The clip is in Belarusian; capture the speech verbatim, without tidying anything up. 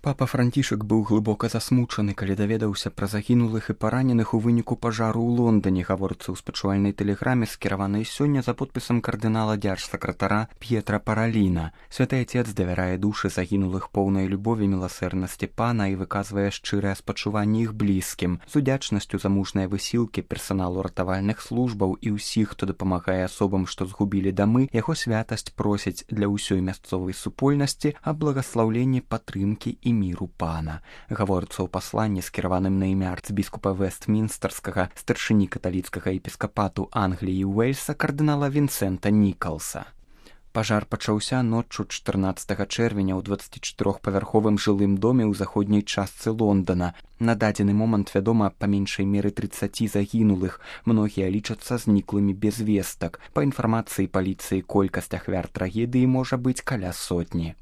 Папа Францішак быў глыбока засмучаны, калі даведаўся пра загінулых і параненых у выніку пажару ў Лондане, гаворыцца ў спачувальнай тэлеграме, скіраванай сёння за подпісам кардынала дзяржсакратара П'етра Параліна. Святы Отец давярае душы загінулых поўнай любові, міласэрнасці Пана і выказвае шчырае спачуванне іх блізкім. З удзячнасцю за мужныя высілкі персаналу ратавальных службаў і ўсіх, хто дапамагае асобам, што згубілі дамы, яго святасць просіць для ўсёй мясцовай супольнасці аб благаслаўленні, падтрымкі і міру Пана. Гаворыцца ў пасланні, скіраваным на імя арцбіскупа Вестмінстэрскага, старшыні каталіцкага епіскапату Англіі і Уэльса кардынала Вінсента Нікалса. Пажар пачаўся ноччу чатырнаццатага чэрвеня ў дваццацічатырохпавярховым жылым доме ў заходняй частцы Лондана. На дадзены момант вядома па меншай меры трыццаці загінулых. Многія лічацца зніклымі без вестак. Па інфармацыі паліцыі, колькасць ахвяр трагедыі можа быць каля сотні.